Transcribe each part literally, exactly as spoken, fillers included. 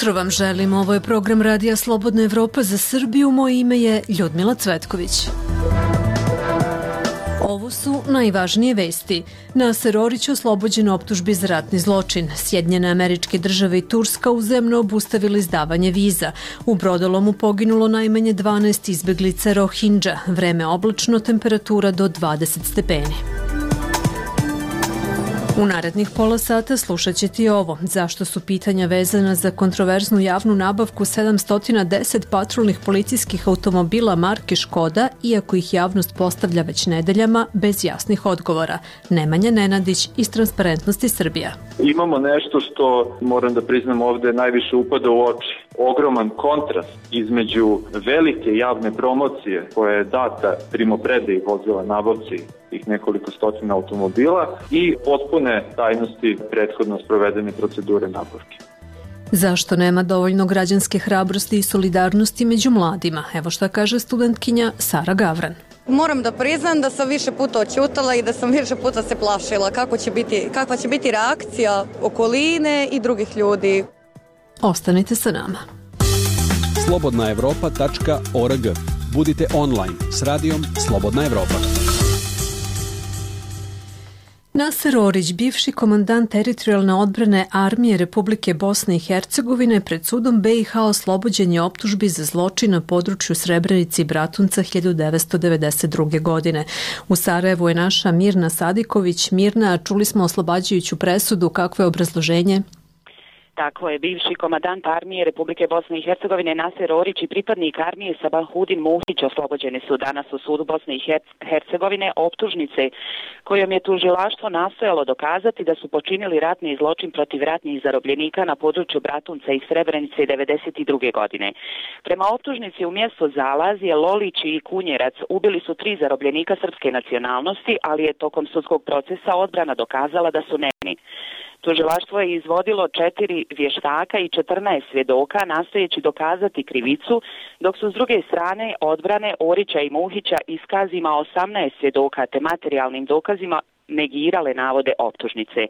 jutro vam želim. Ovo je program Radija Slobodna Evropa za Srbiju. Moje ime je Ljudmila Cvetković. Ovo su najvažnije vesti. Naser Orić oslobođen optužbi za ratni zločin. Sjedinjene Američke Države i Turska uzajamno obustavili izdavanje viza. U brodolomu poginulo najmanje dvanaest izbeglica Rohingya. Vreme oblačno, temperatura do dvadeset stepeni. U narednih pola sata slušat ćete i ovo. Zašto su pitanja vezana za kontroverznu javnu nabavku sedamsto deset patrolnih policijskih automobila marke Škoda, iako ih javnost postavlja već nedeljama, bez jasnih odgovora. Nemanja Nenadić iz Transparentnosti Srbija. Imamo nešto što, moram da priznam ovde, najviše upada u oči. Ogroman kontrast između velike javne promocije koja je data primopredaji vozila nabavci tih nekoliko stotina automobila i potpune tajnosti prethodno sprovedene procedure nabavke. Zašto nema dovoljno građanske hrabrosti i solidarnosti među mladima? Evo šta kaže studentkinja Sara Gavran. Moram da priznam da sam više puta oćutala i da sam više puta se plašila kako će biti, kakva će biti reakcija okoline i drugih ljudi. Ostanite sa nama. slobodna evropa tačka org. Budite online s radijom Slobodna Evropa. Naser Orić, bivši komandant teritorijalne odbrane Armije Republike Bosne i Hercegovine, pred sudom B i H oslobođen je optužbi za zločin na području Srebrenice i Bratunca hiljadu devetsto devedeset druge. godine. U Sarajevu je naša Mirna Sadiković. Mirna, čuli smo oslobađajuću presudu, kakvo je obrazloženje? Tako je, bivši komandant Armije Republike Bosne i Hercegovine Naser Orić i pripadnik armije Sabahudin Muhić oslobođeni su danas u sudu Bosne i Hercegovine optužnice kojom je tužilaštvo nastojalo dokazati da su počinili ratni zločin protiv ratnih zarobljenika na području Bratunca i Srebrenice devedeset druge. godine. Prema optužnici u mjestu Zalazije, Lolić i Kunjerac ubili su tri zarobljenika srpske nacionalnosti, ali je tokom sudskog procesa odbrana dokazala da su nevini. Tužilaštvo je izvodilo četiri vještaka i četrnaest svjedoka nastojeći dokazati krivicu, dok su s druge strane odbrane Orića i Muhića iskazima osamnaest svjedoka te materijalnim dokazima negirale navode optužnice.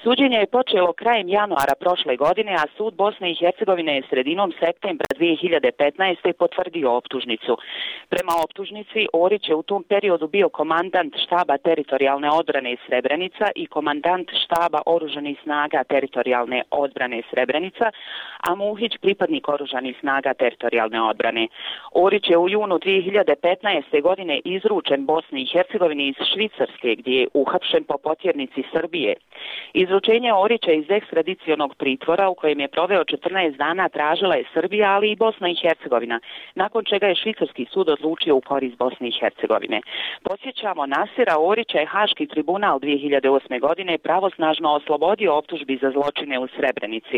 Suđenje je počelo krajem januara prošle godine, a sud Bosne i Hercegovine je sredinom septembra dvije hiljade petnaeste. potvrdio optužnicu. Prema optužnici, Orić je u tom periodu bio komandant štaba teritorijalne odbrane Srebrenica i komandant štaba oružanih snaga teritorijalne odbrane Srebrenica, a Muhić pripadnik oružanih snaga teritorijalne odbrane. Orić je u junu dvije hiljade petnaeste. godine izručen Bosni i Hercegovini iz Švicarske, gdje je uhapšen po potjernici Srbije. Izručenje Orića iz ekstradicionog pritvora u kojem je proveo četrnaest dana tražila je Srbija, ali i Bosna i Hercegovina, nakon čega je švicarski sud odlučio u korist Bosne i Hercegovine. Podsjećamo, Nasera Orića je Haški tribunal dvije hiljade osme. godine pravosnažno oslobodio optužbi za zločine u Srebrenici.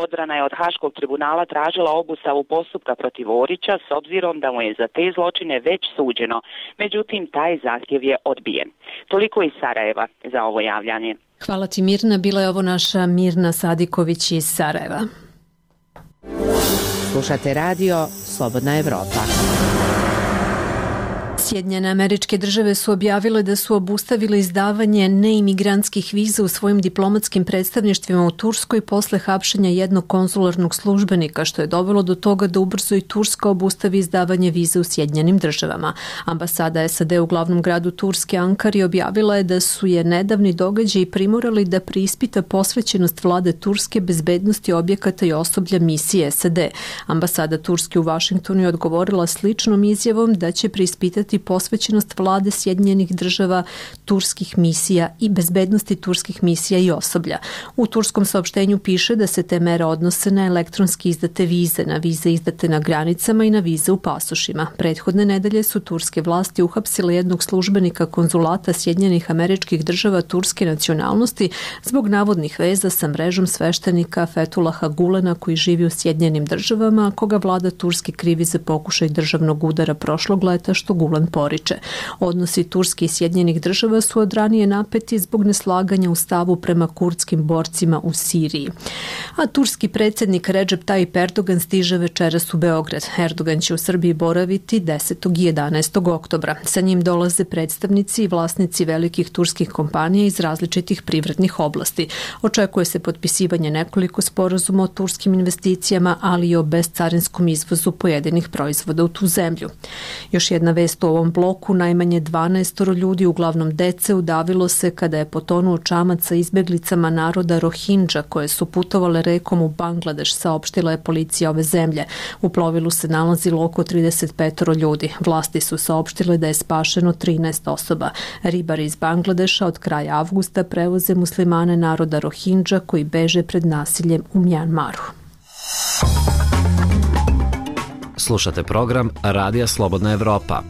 Odbrana je od Haškog tribunala tražila obustavu postupka protiv Orića s obzirom da mu je za te zločine već suđeno. Međutim, taj zahtjev je odbijen. Toliko iz Sarajeva za ovo javljanje. Hvala ti, Mirna. Bila je ovo naša Mirna Sadiković iz Sarajeva. Slušate radio Slobodna Evropa. Sjedinjene Američke Države su objavile da su obustavile izdavanje neimigrantskih viza u svojim diplomatskim predstavništvima u Turskoj posle hapšenja jednog konzularnog službenika, što je dovelo do toga da ubrzo i Turska obustavi izdavanje viza u Sjedinjenim Državama. Ambasada S A D u glavnom gradu Turske, Ankari, objavila je da su je nedavni događaji primorali da preispita posvećenost vlade Turske bezbednosti objekata i osoblja misije S A D. Ambasada Turske u Vašingtonu je odgovorila sličnom izjavom da će preispitati posvećenost vlade Sjedinjenih Država, turskih misija i bezbednosti turskih misija i osoblja. U turskom saopštenju piše da se te mere odnose na elektronski izdate vize, na vize izdate na granicama i na vize u pasošima. Prethodne nedelje su turske vlasti uhapsile jednog službenika konzulata Sjedinjenih Američkih Država turske nacionalnosti zbog navodnih veza sa mrežom sveštenika Fetulaha Gulena koji živi u Sjedinjenim Državama, koga vlada Turske krivi za pokušaj državnog udara prošlog leta što Gulen on poriče. Odnosi Turske i Sjedinjenih država su od ranije napeti zbog neslaganja u stavu prema kurdskim borcima u Siriji. A turski predsjednik Recep Tayyip Erdogan stiže večeras u Beograd. Erdogan će u Srbiji boraviti desetog i jedanaestog oktobra. Sa njim dolaze predstavnici i vlasnici velikih turskih kompanija iz različitih privrednih oblasti. Očekuje se potpisivanje nekoliko sporazuma o turskim investicijama, ali i o bezcarinskom izvozu pojedinih proizvoda u tu zemlju. Još jedna vest u ovom bloku, najmanje dvanaest ljudi, uglavnom dece, udavilo se kada je potonuo čamac sa izbjeglicama naroda Rohingya koje su putovale rekom u Bangladeš, saopštila je policija ove zemlje. U plovilu se nalazilo oko trideset pet ljudi. Vlasti su saopštile da je spašeno trinaest osoba. Ribari iz Bangladeša od kraja avgusta prevoze muslimane naroda Rohingya koji beže pred nasiljem u Mjanmaru. Slušate program Radija Slobodna Evropa.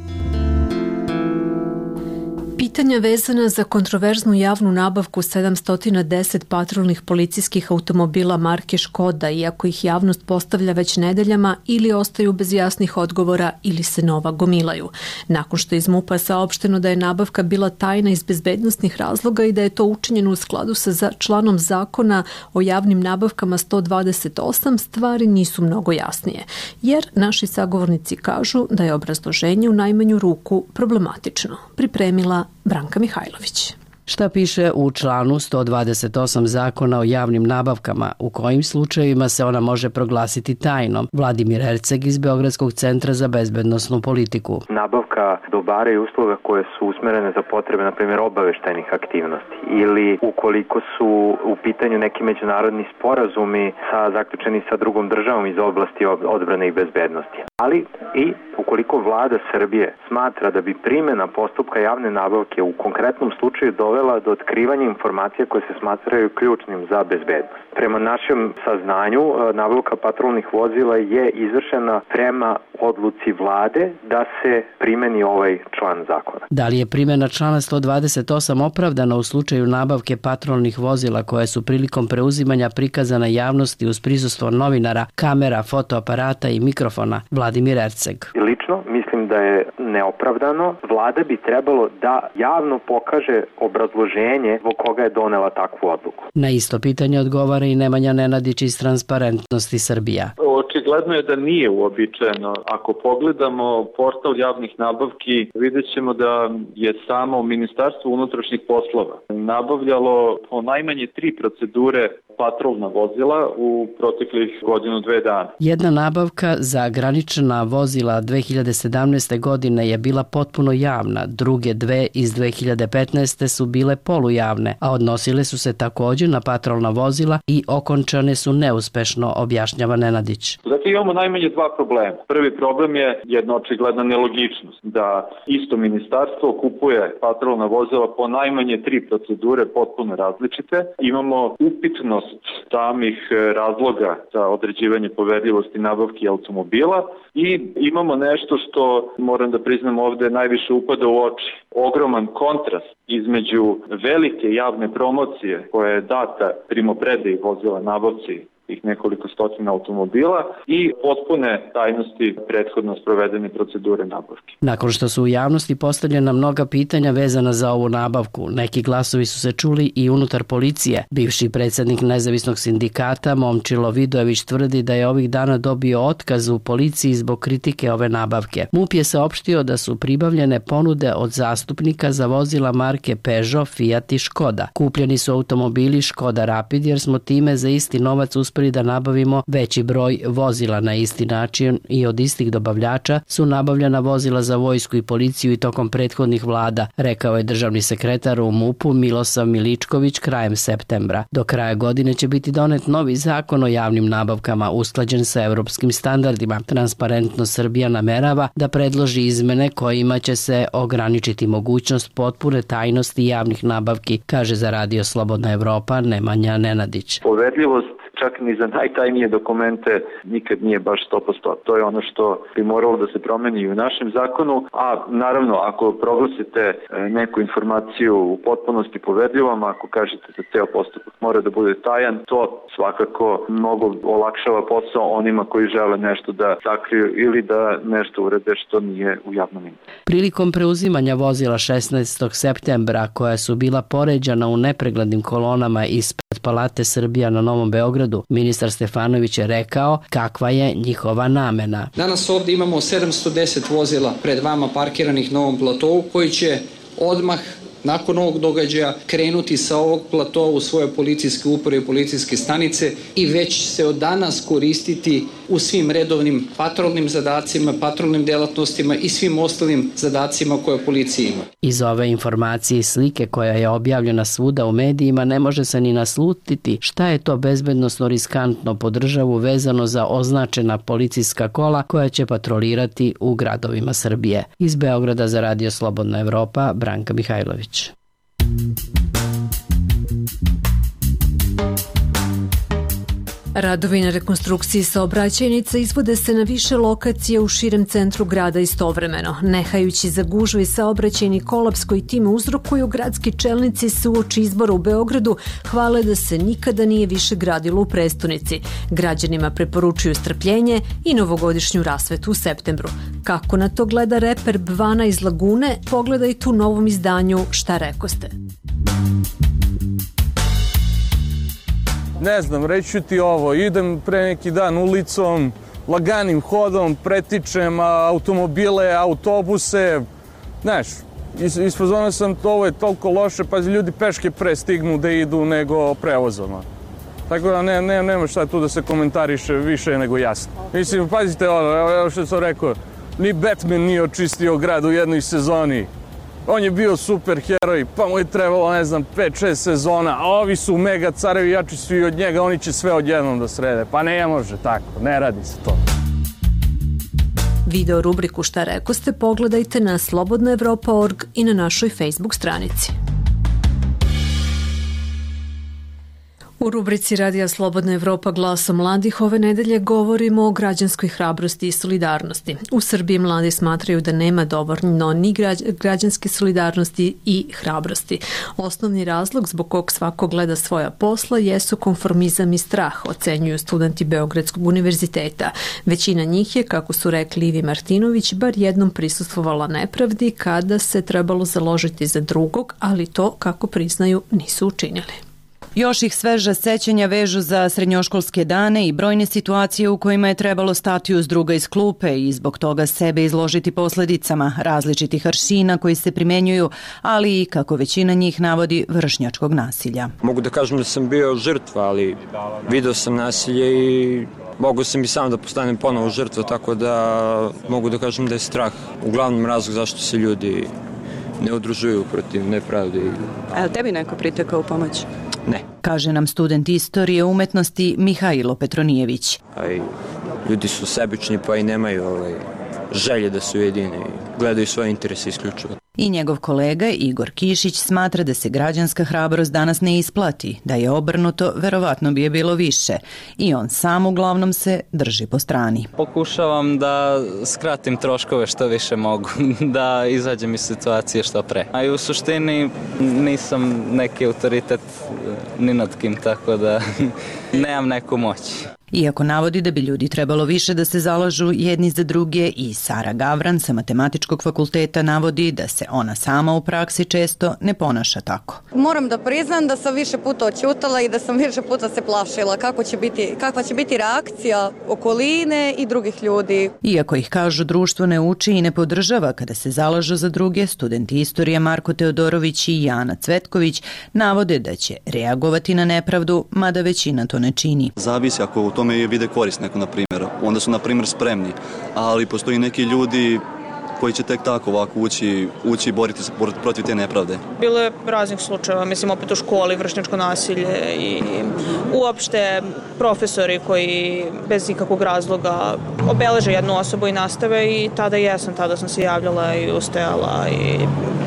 Pitanja vezana za kontroverznu javnu nabavku sedamsto deset patrolnih policijskih automobila marke Škoda, iako ih javnost postavlja već nedeljama, ili ostaju bez jasnih odgovora ili se nova gomilaju. Nakon što je iz MUP-a saopšteno da je nabavka bila tajna iz bezbednosnih razloga i da je to učinjeno u skladu sa članom zakona o javnim nabavkama sto dvadeset osam, stvari nisu mnogo jasnije, jer naši sagovornici kažu da je obrazloženje u najmanju ruku problematično. Pripremila Branka Mihajlović. Šta piše u članu sto dvadeset osam Zakona o javnim nabavkama, u kojim slučajevima se ona može proglasiti tajnom? Vladimir Erceg iz Beogradskog centra za bezbednosnu politiku. Nabavka dobara i usluga koje su usmerene za potrebe, na primjer, obaveštajnih aktivnosti ili ukoliko su u pitanju neki međunarodni sporazumi sa zaključeni sa drugom državom iz oblasti odbrane i bezbednosti. Ali i ukoliko vlada Srbije smatra da bi primjena postupka javne nabavke u konkretnom slučaju dovela do otkrivanja informacija koje se smatraju ključnim za bezbednost. Prema našem saznanju, nabavka patrolnih vozila je izvršena prema odluci vlade da se primeni ovaj član zakona. Da li je primjena člana sto dvadeset osam opravdana u slučaju nabavke patrolnih vozila koje su prilikom preuzimanja prikazana javnosti uz prisustvo novinara, kamera, fotoaparata i mikrofona? Vladimir Erceg. Lično mislim da je neopravdano. Vlada bi trebalo da javno pokaže obrazloženje zbog koga je donela takvu odluku. Na isto pitanje odgovara i Nemanja Nenadić iz Transparentnosti Srbija. Očigledno je da nije uobičajeno. Ako pogledamo portal javnih nabavki, vidjet ćemo da je samo Ministarstvo unutrašnjih poslova nabavljalo po najmanje tri procedure patrolna vozila u proteklih godinu dve dana. Jedna nabavka za granična vozila dve hiljade sedamnaeste. godine je bila potpuno javna, druge dve iz dve hiljade petnaeste. su bile polujavne, a odnosile su se također na patrolna vozila i okončane su neuspešno, objašnjava Nenadić. Dakle, imamo najmanje dva problema. Prvi problem je jedna očigledna nelogičnost, da isto ministarstvo kupuje patrolna vozila po najmanje tri procedure potpuno različite. Imamo upitnost samih razloga za određivanje poverljivosti nabavki automobila i imamo nešto što, moram da priznam ovde, najviše upada u oči. Ogroman kontrast između velike javne promocije koja je data primopredaji vozila nabavci tih nekoliko stotina automobila i potpune tajnosti prethodno sprovedene procedure nabavke. Nakon što su u javnosti postavljena mnoga pitanja vezana za ovu nabavku, neki glasovi su se čuli i unutar policije. Bivši predsjednik nezavisnog sindikata Momčilo Vidojević tvrdi da je ovih dana dobio otkaz u policiji zbog kritike ove nabavke. MUP je saopštio da su pribavljene ponude od zastupnika za vozila marke Peugeot, Fiat i Škoda. Kupljeni su automobili Škoda Rapid jer smo time za isti novac uspeli da nabavimo veći broj vozila. Na isti način i od istih dobavljača su nabavljena vozila za vojsku i policiju i tokom prethodnih vlada, rekao je državni sekretar u MUP-u Milosav Miličković krajem septembra. Do kraja godine će biti donet novi zakon o javnim nabavkama usklađen sa evropskim standardima. Transparentno Srbija namerava da predloži izmene kojima će se ograničiti mogućnost potpune tajnosti javnih nabavki, kaže za Radio Slobodna Evropa Nemanja Nenadić. Poverljivost čak ni za najtajnije dokumente nikad nije baš sto posto. To je ono što bi moralo da se promeni i u našem zakonu, a naravno ako proglasite neku informaciju u potpunosti poverljivom, ako kažete da ceo postupak mora da bude tajan, to svakako mnogo olakšava posao onima koji žele nešto da sakriju ili da nešto urede što nije u javnom interesu. Prilikom preuzimanja vozila šesnaestog septembra, koja su bila poređana u nepreglednim kolonama ispred Palate Srbija na Novom Beogradu, ministar Stefanović je rekao kakva je njihova namena. Danas ovdje imamo sedamsto deset vozila pred vama parkiranih na ovom platovu koji će odmah nakon ovog događaja krenuti sa ovog platoa u svoje policijske uprave i policijske stanice i već se od danas koristiti u svim redovnim patrolnim zadacima, patrolnim delatnostima i svim ostalim zadacima koje policija ima. Iz ove informacije i slike koja je objavljena svuda u medijima ne može se ni naslutiti šta je to bezbednosno riskantno po državu vezano za označena policijska kola koja će patrolirati u gradovima Srbije. Iz Beograda za Radio Slobodna Evropa, Branka Mihajlović. Radovi na rekonstrukciji saobraćajnica izvode se na više lokacija u širem centru grada istovremeno. Nehajući za gužve i saobraćajni kolaps koji time uzrokuju, gradski čelnici se uoči izbora u Beogradu hvale da se nikada nije više gradilo u prestonici. Građanima preporučuju strpljenje i novogodišnju rasvetu u septembru. Kako na to gleda reper Bvana iz Lagune, pogledajte u novom izdanju Šta rekoste. Ne znam, reću ti ovo, idem pre neki dan ulicom, laganim hodom, pretičem automobile, autobuse, znaš, isfazonao sam to, ovo je toliko loše, pa ljudi peške pre stignu da idu nego prevozom. Tako da ne, ne, nema šta tu da se komentariše više nego jasno. Mislim, pazite ono, evo što sam rekao, ni Batman nije očistio grad u jednoj sezoni. On je bio super heroj, pa mu je trebalo, ne znam, pet šest sezona, a ovi su mega carevi, jači su i od njega, oni će sve odjednom da srede. Pa ne može tako, ne radi se to. Video rubriku Šta rekoste pogledajte na slobodna evropa tačka org i na našoj Facebook stranici. U rubrici Radija Slobodna Evropa glasom mladih ove nedelje govorimo o građanskoj hrabrosti i solidarnosti. U Srbiji mladi smatraju da nema dovoljno ni građanske solidarnosti i hrabrosti. Osnovni razlog zbog kog svako gleda svoja posla jesu konformizam i strah, ocenjuju studenti Beogradskog univerziteta. Većina njih je, kako su rekli Ivi Martinović, bar jednom prisustvovala nepravdi kada se trebalo založiti za drugog, ali to, kako priznaju, nisu učinili. Još ih sveža sećanja vežu za srednjoškolske dane i brojne situacije u kojima je trebalo stati uz druga iz klupe i zbog toga sebe izložiti posledicama različitih aršina koji se primenjuju, ali i, kako većina njih navodi, vršnjačkog nasilja. Mogu da kažem da sam bio žrtva, ali video sam nasilje i mogu sam i sam da postanem ponovo žrtva, tako da mogu da kažem da je strah uglavnom razlog zašto se ljudi ne udružuju protiv nepravde. A je li tebi neko pritekao u pomoć? Ne. Kaže nam student istorije umetnosti Mihajlo Petronijević. Aj, ljudi su sebični pa i nemaju ovaj, želje da su jedini, gledaju svoje interese isključivo. I njegov kolega Igor Kišić smatra da se građanska hrabrost danas ne isplati, da je obrnuto, verovatno bi je bilo više. I on sam uglavnom se drži po strani. Pokušavam da skratim troškove što više mogu, da izađem iz situacije što pre. A i u suštini nisam neki autoritet ni nad kim, tako da nemam neku moć. Iako navodi da bi ljudi trebalo više da se zalažu jedni za druge, i Sara Gavran sa Matematičkog fakulteta navodi da se ona sama u praksi često ne ponaša tako. Moram da priznam da sam više puta oćutala i da sam više puta se plašila kako će biti, kakva će biti reakcija okoline i drugih ljudi. Iako ih, kažu, društvo ne uči i ne podržava kada se zalažu za druge, studenti istorije Marko Teodorović i Jana Cvetković navode da će reagovati na nepravdu, mada većina to ne čini. Zavisi ako u tome vide korist neko, na primjer, onda su, na primjer, spremni, ali postoji neki ljudi koji će tek tako ovako ući, ući i boriti se protiv te nepravde. Bilo je raznih slučajeva, mislim, opet u školi, vršnjačko nasilje i uopšte profesori koji bez ikakvog razloga obeleže jednu osobu i nastave, i tada jesam, tada sam se javljala i ustajala i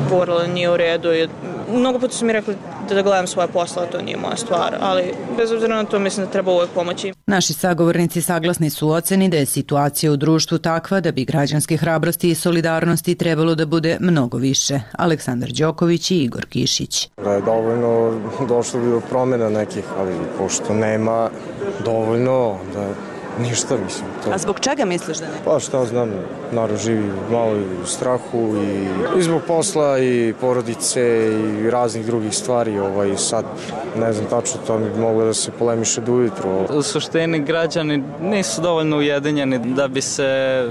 govorila nije u redu. I mnogo puta su mi rekli da gledam svoje posla, to nije moja stvar, ali bez obzira na to mislim da treba uvek pomoći. Naši sagovornici saglasni su u oceni da je situacija u društvu takva da bi građanske hrabrosti i solidarnosti trebalo da bude mnogo više. Aleksandar Đoković i Igor Kišić. Da je dovoljno došlo bi do promjena nekih, ali pošto nema dovoljno, da ništa mislim. To. A zbog čega misliš da ne? Pa šta znam, narod živi malo i u strahu i, i zbog posla i porodice i raznih drugih stvari. Ovaj, sad ne znam tačno, to mi bi moglo da se polemiše do ujutru. U suštini građani nisu dovoljno ujedinjeni da bi se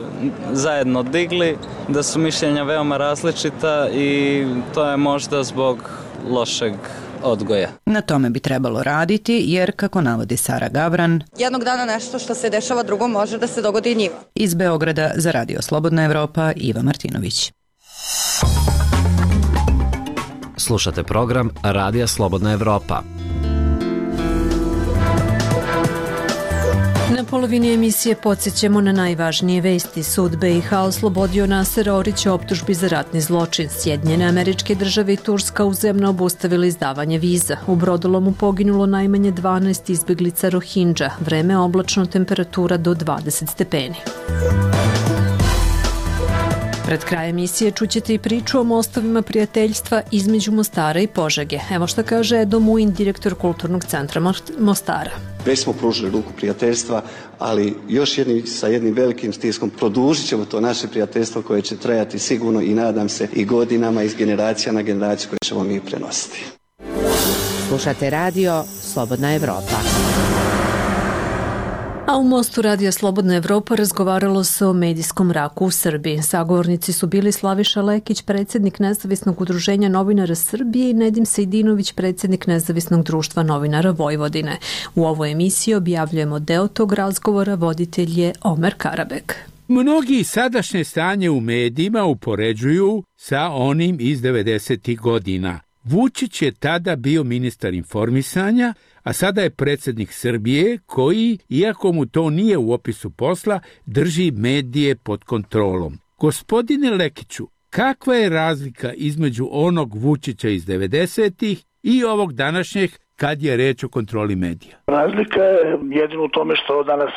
zajedno digli, da su mišljenja veoma različita i to je možda zbog lošeg odgoja. Na tome bi trebalo raditi jer, kako navodi Sara Gavran, jednog dana nešto što se dešava drugom može da se dogodi i njima. Iz Beograda za Radio Slobodna Evropa, Iva Martinović. Slušate program Radija Slobodna Evropa. Na polovini emisije podsjećamo na najvažnije vesti. Sud B i H oslobodio Nasera Orića optužbi za ratni zločin. Sjedinjene Američke Države i Turska uzajamno obustavili izdavanje viza. U brodolomu poginulo najmanje dvanaest izbeglica Rohingya. Vreme oblačno, temperatura do dvadeset stepeni. Pred kraj emisije čućete i priču o mostovima prijateljstva između Mostara i Požege. Evo što kaže Edo Muin, direktor Kulturnog centra Mostara. Već smo pružili ruku prijateljstva, ali još jedni, sa jednim velikim stiskom produžit ćemo to naše prijateljstvo koje će trajati sigurno i nadam se i godinama iz generacija na generaciju koje ćemo mi prenositi. Slušate radio Slobodna Evropa. A u Mostu Radija Slobodna Evropa razgovaralo se o medijskom mraku u Srbiji. Sagovornici su bili Slaviša Lekić, predsjednik Nezavisnog udruženja novinara Srbije, i Nedim Sejdinović, predsjednik Nezavisnog društva novinara Vojvodine. U ovoj emisiji objavljujemo deo tog razgovora, voditelj je Omer Karabek. Mnogi sadašnje stanje u medijima upoređuju sa onim iz devedesetih godina. Vučić je tada bio ministar informisanja, a sada je predsjednik Srbije koji, iako mu to nije u opisu posla, drži medije pod kontrolom. Gospodine Lekiću, kakva je razlika između onog Vučića iz devedesetih i ovog današnjeg kad je reč o kontroli medija? Razlika je jedino u tome što danas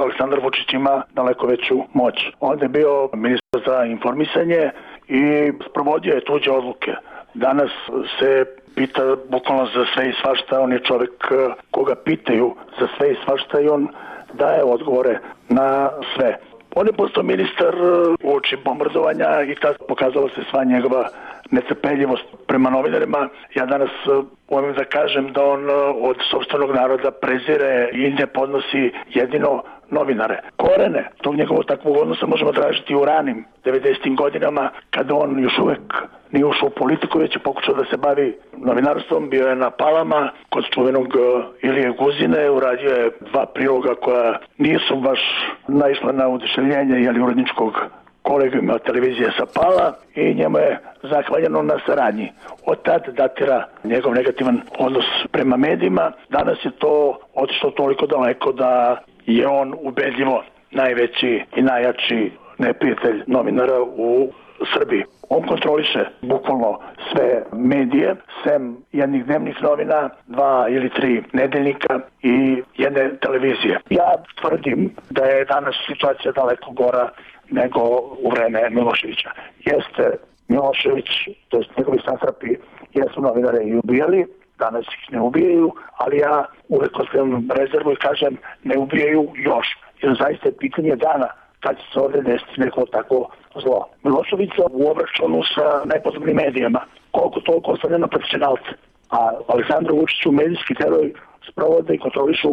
Aleksandar Vučić ima daleko veću moć. On je bio ministar za informisanje i sprovodio je tuđe odluke. Danas se pita bukvalno za sve i svašta, on je čovjek koga pitaju za sve i svašta i on daje odgovore na sve. On je postao ministar uoči bombardovanja i tad pokazala se sva njegova netrpeljivost prema novinarima. Ja danas umem da kažem da on od sopstvenog naroda prezire i ne podnosi jedino novinare. Korene tog njegovog takvog odnosa možemo tražiti u ranim devedesetim godinama, kada on još uvek nije ušao u politiku, već je pokušao da se bavi novinarstvom. Bio je na Palama kod čuvenog Ilije Guzine, uradio je dva priloga koja nisu baš naišla na oduševljenje jeli uredničkog kolegijuma televizije sa Pala i njemu je zahvaljeno na saradnji. Od tad datira njegov negativan odnos prema medijima. Danas je to otišlo toliko daleko da je on ubedljivo najveći i najjači neprijatelj novinara u Srbiji. On kontroliše bukvalno sve medije, sem jednih dnevnih novina, dva ili tri nedeljnika i jedne televizije. Ja tvrdim da je danas situacija daleko gora nego u vreme Miloševića. Jeste Milošević, to jest njegovi satrapi, jesu novinare i ubijali, danas ih ne ubijaju, ali ja uvek ostavljam rezervu i kažem ne ubijaju još, jer zaista je pitanje dana kad će se ovdje desiti neko tako zlo. Miloševića u obračunu sa najpodobnim medijama, koliko toliko ostavlja na profesionalce, a Aleksandru Vučiću medijski teror sprovode i kontrolišu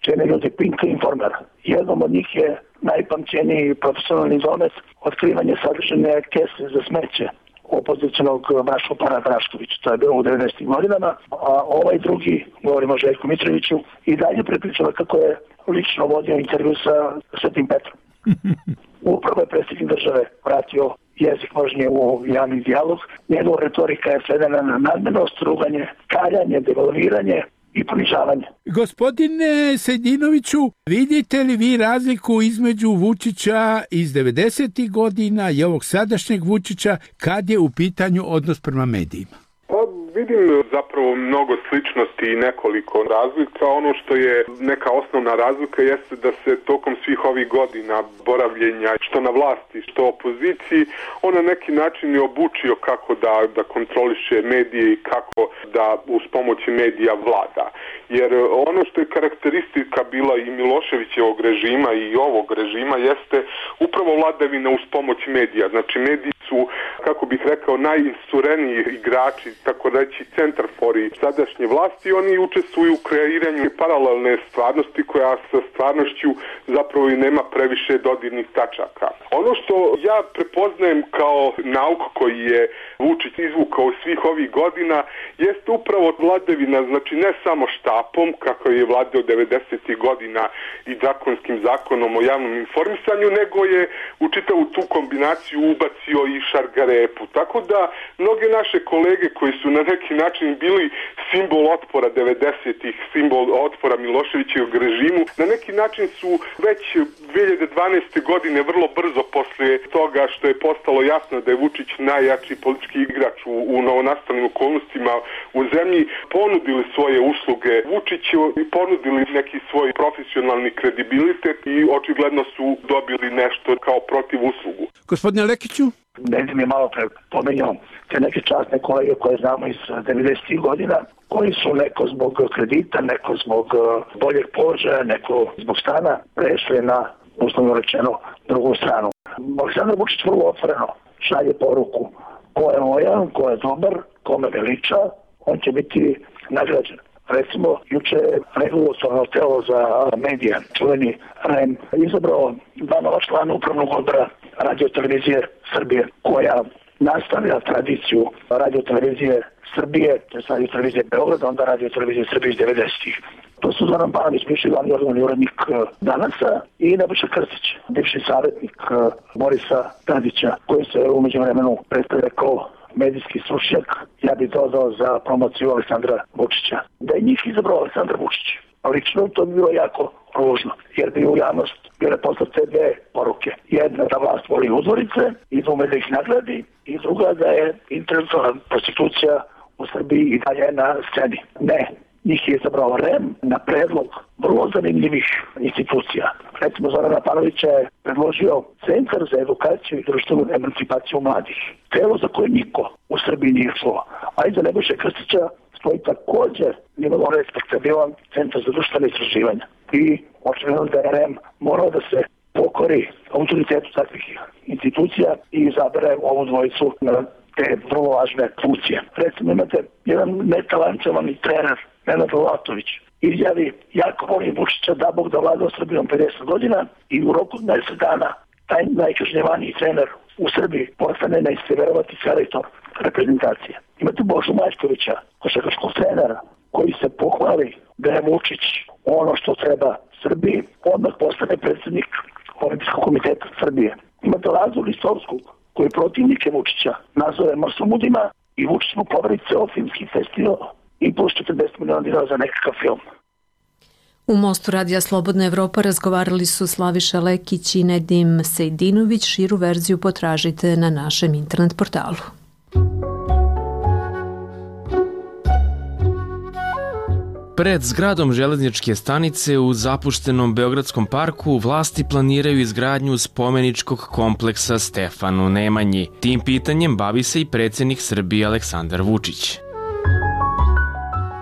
čene ljudi Pinka i Informera. Jednom od njih je najpamćeniji profesionalni domet otkrivanje sadržane kese za smeće opozicionog Braško Para Draškovića. To je bilo u devedesetim godinama, a ovaj drugi, govorimo o Željku Mitroviću, i dalje prepričava kako je lično vodio intervju sa Svetim Petrom. Upravo je predsjednik države vratio jezik možnije u javni dijalog. Njegova retorika je svedena na nadmenost, ruganje, kaljanje, devalviranje i ponižavanje. Gospodine Sejdinoviću, vidite li vi razliku između Vučića iz devedesetih godina i ovog sadašnjeg Vučića kad je u pitanju odnos prema medijima? Pa Vidim zapravo mnogo sličnosti i nekoliko razlika. Ono što je neka osnovna razlika jeste da se tokom svih ovih godina boravljenja što na vlasti, što opoziciji, on na neki način je obučio kako da, da kontroliše medije i kako da uz pomoći medija vlada. Jer ono što je karakteristika bila i Miloševićevog režima i ovog režima jeste upravo vladavina uz pomoć medija. Znači mediji su, kako bih rekao, najinsureniji igrači, tako reći centarfori sadašnje vlasti. Oni učestvuju u kreiranju paralelne stvarnosti koja sa stvarnošću zapravo i nema previše dodirnih tačaka. Ono što ja prepoznajem kao nauk koji je Vučić izvukao svih ovih godina jeste upravo vladavina, znači ne samo štapom, kako je vladao devedesetih godina i drakonskim zakonom o javnom informisanju, nego je u čitavu tu kombinaciju ubacio i šargarepu. Tako da mnoge naše kolege koji su na neki način bili simbol otpora devedesetih, simbol otpora Miloševićevog režimu, na neki način su već dve hiljade dvanaeste. godine vrlo brzo posle toga što je postalo jasno da je Vučić najjači politički igrač u, u novonastalim okolnostima u zemlji, ponudili svoje usluge Vučiću i ponudili neki svoj profesionalni kredibilitet i očigledno su dobili nešto kao protiv uslugu. Gospodine Lekiću? Nedim je malo pre pomenjao te neke časne kolege koje znamo iz devedesetih godina, koji su neko zbog kredita, neko zbog boljeg položaja, neko zbog stana prešli na, uslovno rečeno, drugu stranu. Aleksandar Vučić vrlo otvoreno šalje poruku ko je lojan, ko je dobar, ko me veliča, on će biti nagrađen. Recimo, juče regulatorno telo za medije, čuveni R E M, izabrao dva nova člana upravnog odbora Radio-televizije Srbije, koja nastavlja tradiciju Radio-televizije Srbije, to je Radio-televizije Beograda, onda Radio-televizije Srbije iz devedesetih. To su Zoran Banović, bivši glavni odgovorni urednik Danasa, i Nebojša Krstić, bivši savjetnik Borisa Tadića, koji se u međuvremenu predstavlja kao medijski stručnjak, ja bih dodao za promociju Aleksandra Vučića. Da je njih izabrao Aleksandar Vučić, lično to bi bilo jako ružno, jer bi u javnost bile poslate dve poruke. Jedna da vlast voli uzorice i da ume da ih nagradi, i druga da je intelektualna prostitucija u Srbiji i dalje na sceni. Ne, njih je izabrao R E M na predlog vrlo zanimljivih institucija. Recimo, Zorana Panovića je predložio Centar za edukaciju i društvenu emancipaciju mladih. Telo za koje niko u Srbiji nije šlo. A iza Nebojše Krstića stoji također nimalo respektabilan Centar za društvene istraživanja. I očigledno da je R E M morao da se pokori autoritetu takvih institucija i izabere ovu dvojicu na te vrlo važne funkcije. Recimo, imate jedan netalančovani trener, Nenad Latović, izjavi: jako volim Vučića, da Bog da vlada Srbijom pedeset godina, i u roku deset dana taj najkažnjevaniji trener u Srbiji postane, nećete verovati, selektor reprezentacije. Imate Božu Mačkovića, košarkaškog trenera, koji se pohvali da je Vučić ono što treba Srbiji, odmah postane predsjednik Olimpijskog komiteta Srbije. Imate Lazu Listovskog, koji protivnike Vučića nazove marsomudima, i Vučić mu poveri ceo filmski festival i plus četrdeset miliona dinara za nekakav film. U Mostu Radija Slobodna Evropa razgovarali su Slaviša Lekić i Nedim Sejdinović. Širu verziju potražite na našem internet portalu. Pred zgradom železničke stanice u zapuštenom Beogradskom parku vlasti planiraju izgradnju spomeničkog kompleksa Stefanu Nemanji. Tim pitanjem bavi se i predsjednik Srbije Aleksandar Vučić.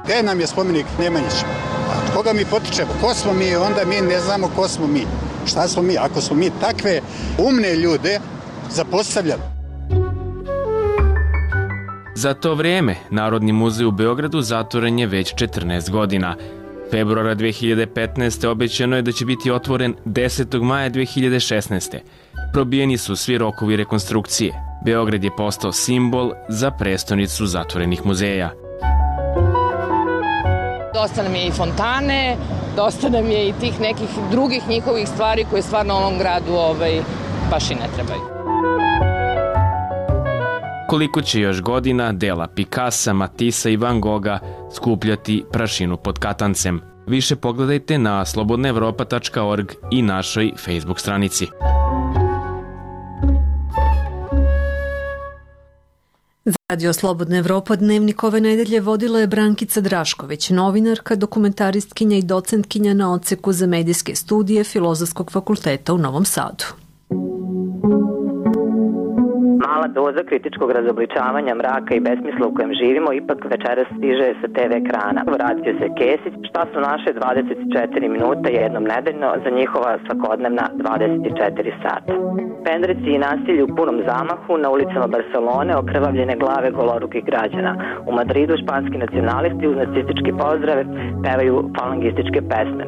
Gde nam je spomenik Nemanjić? Od koga mi potičemo? Ko smo mi? Onda mi ne znamo ko smo mi. Šta smo mi? Ako smo mi takve umne ljude zapostavljali. Za to vrijeme Narodni muzej u Beogradu zatvoren je već četrnaest godina. Februara dve hiljade petnaeste. obećano je da će biti otvoren desetog maja dve hiljade šesnaeste. Probijeni su svi rokovi rekonstrukcije. Beograd je postao simbol za prestonicu zatvorenih muzeja. Dosta nam je i fontane, dosta nam je i tih nekih drugih njihovih stvari koje stvarno ovom gradu ovaj, baš i ne trebaju. Koliko će još godina dela Picassa, Matissa i Van Gogha skupljati prašinu pod katancem? Više pogledajte na slobodna evropa tačka org i našoj Facebook stranici. Za Radio Slobodna Evropa dnevnik ove nedelje vodila je Brankica Drašković, novinarka, dokumentaristkinja i docentkinja na odseku za medijske studije Filozofskog fakulteta u Novom Sadu. Mala doza kritičkog razobličavanja mraka i besmisla u kojem živimo ipak večeras stiže sa te ve ekrana. Vratio se Kesić, šta su naše dvadeset četiri minuta jednom nedeljno za njihova svakodnevna dvadeset četiri sata. Pendreci i nasilje u punom zamahu na ulicama Barcelone, okrvavljene glave golorukih građana. U Madridu španski nacionalisti uz nacističke pozdrave pevaju falangističke pesme.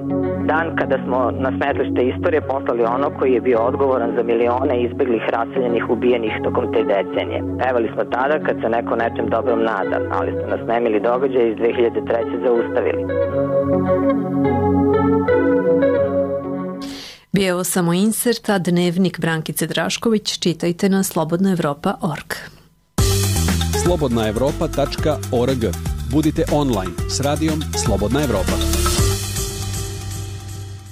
Dan kada smo na smetlište istorije poslali ono koji je bio odgovoran za milione izbeglih, raseljenih, ubijenih tokom te decenije. Pevali smo tada kad se neko nečem dobrom nada, ali su nas nemili događaj iz dve hiljade treće zaustavili. Bio je ovo samo insert, a dnevnik Brankice Drašković čitajte na slobodna evropa tačka org. slobodna evropa tačka org. Budite online s radijom Slobodna Evropa.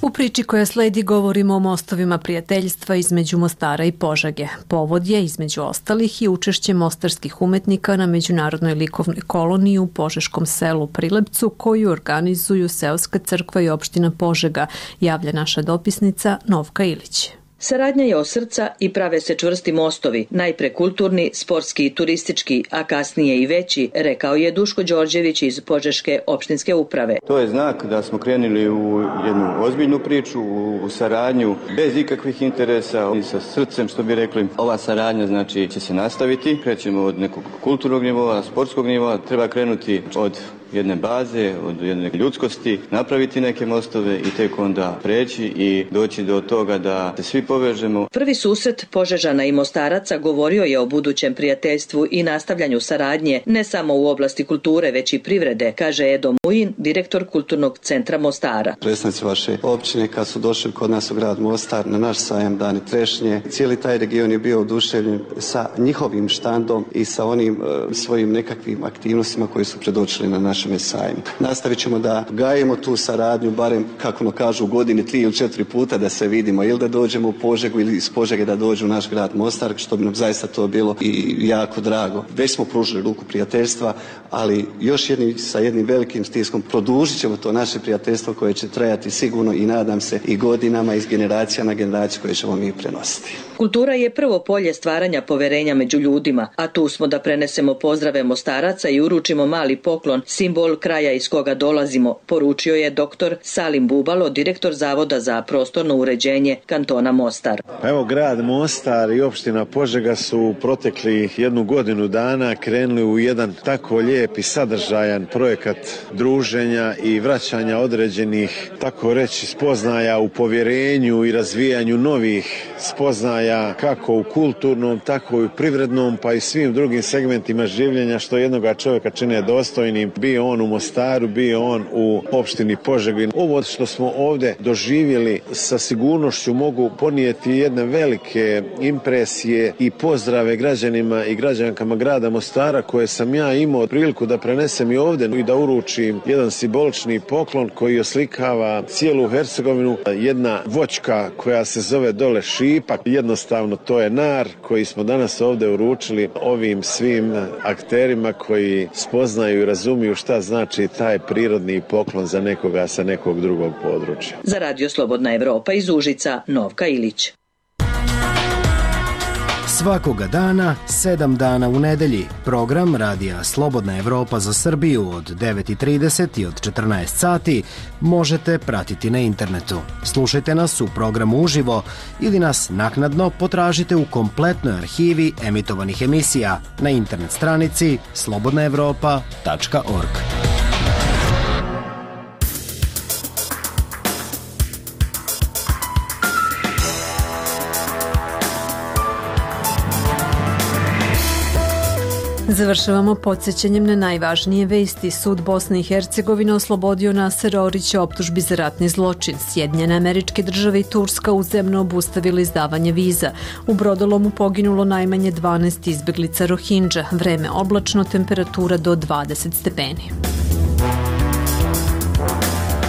U priči koja sledi govorimo o mostovima prijateljstva između Mostara i Požege. Povod je, između ostalih, i učešće mostarskih umetnika na međunarodnoj likovnoj koloniji u požeškom selu Prilebcu, koju organizuju Seoska crkva i opština Požega, javlja naša dopisnica Novka Ilić. Saradnja je od srca i prave se čvrsti mostovi, najpre kulturni, sportski i turistički, a kasnije i veći, rekao je Duško Đorđević iz Požeške opštinske uprave. To je znak da smo krenuli u jednu ozbiljnu priču, u saradnju bez ikakvih interesa i sa srcem, što bi rekli. Ova saradnja znači će se nastaviti, krećemo od nekog kulturnog nivoa, sportskog nivoa, treba krenuti od jedne baze, od jedne ljudskosti, napraviti neke mostove i tek onda preći i doći do toga da se svi povežemo. Prvi susret Požežana i Mostaraca govorio je o budućem prijateljstvu i nastavljanju saradnje ne samo u oblasti kulture, već i privrede, kaže Edo Mujin, direktor Kulturnog centra Mostara. Predstavnici vaše općine kad su došli kod nas u grad Mostar na naš sajam Dani trešnje, cijeli taj region je bio oduševljen sa njihovim štandom i sa onim e, svojim nekakvim aktivnostima koji su predočili na naš sajmu. Nastavit ćemo da gajemo tu saradnju, barem kako no kažu u godini tri ili četiri puta da se vidimo, ili da dođemo u Požegu ili iz Požege da dođu u naš grad Mostar, što bi nam zaista to bilo i jako drago. Već smo pružili ruku prijateljstva, ali još jedni, sa jednim velikim stiskom produžit ćemo to naše prijateljstvo koje će trajati sigurno i nadam se i godinama, iz generacija na generaciju koje ćemo mi prenositi. Kultura je prvo polje stvaranja poverenja među ljudima, a tu smo da prenesemo pozdrave Mostaraca i uručimo mali poklon, simbol kraja iz koga dolazimo, poručio je doktor Salim Bubalo, direktor Zavoda za prostorno uređenje kantona Mostar. Evo, grad Mostar i opština Požega su protekli jednu godinu dana krenuli u jedan tako lijep i sadržajan projekat druženja i vraćanja određenih, tako reći, spoznaja u povjerenju i razvijanju novih spoznaja kako u kulturnom, tako i u privrednom, pa i svim drugim segmentima življenja što jednoga čovjeka čine dostojnim, bio on u Mostaru, bio on u opštini Požegi. Ovo što smo ovdje doživjeli sa sigurnošću mogu ponijeti jedne velike impresije i pozdrave građanima i građankama grada Mostara, koje sam ja imao priliku da prenesem i ovdje i da uručim jedan simbolični poklon koji oslikava cijelu Hercegovinu. Jedna voćka koja se zove dole Šipak, jednostavno to je nar koji smo danas ovdje uručili ovim svim akterima koji spoznaju i razumiju šta znači taj prirodni poklon za nekoga sa nekog drugog područja. Za Radio Slobodna Evropa iz Užica, Novka Ilić. Svakoga dana, sedam dana u nedelji, program Radija Slobodna Evropa za Srbiju od devet i trideset i od četrnaest sati možete pratiti na internetu. Slušajte nas u programu uživo ili nas naknadno potražite u kompletnoj arhivi emitovanih emisija na internet stranici slobodna evropa tačka org. Završavamo podsjećanjem na najvažnije vesti. Sud Bosne i Hercegovine oslobodio Nasera Orića optužbi za ratni zločin. Sjedinjene Američke Države i Turska uzemno obustavili izdavanje viza. U brodolomu poginulo najmanje dvanaest izbeglica Rohingya. Vreme oblačno, temperatura do dvadeset stepeni.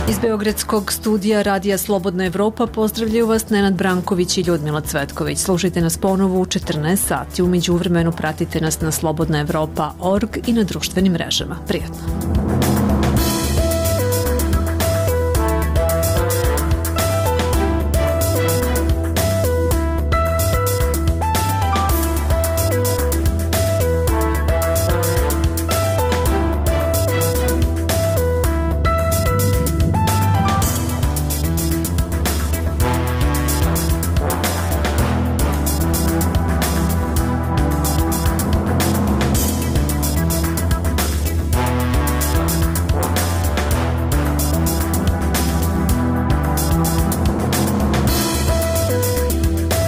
Iz Beogradskog studija Radija Slobodna Evropa pozdravljaju vas Nenad Branković i Ljudmila Cvetković. Slušajte nas ponovo u četrnaest sati. U međuvremenu pratite nas na slobodna evropa tačka org i na društvenim mrežama. Prijatno.